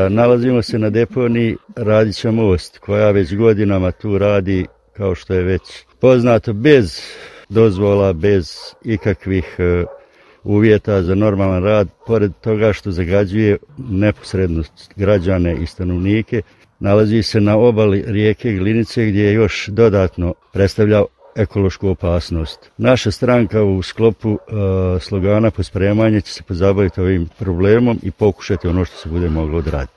Nalazimo se na deponiji Radića most, koja već godinama tu radi, kao što je već poznato, bez dozvola, bez ikakvih uvjeta za normalan rad, pored toga što zagađuje neposredno građane i stanovnike. Nalazi se na obali rijeke Glinice, gdje je još dodatno predstavlja ekološku opasnost. Naša stranka u sklopu slogana pospremanje će se pozabaviti ovim problemom i pokušati ono što se bude moglo odraditi.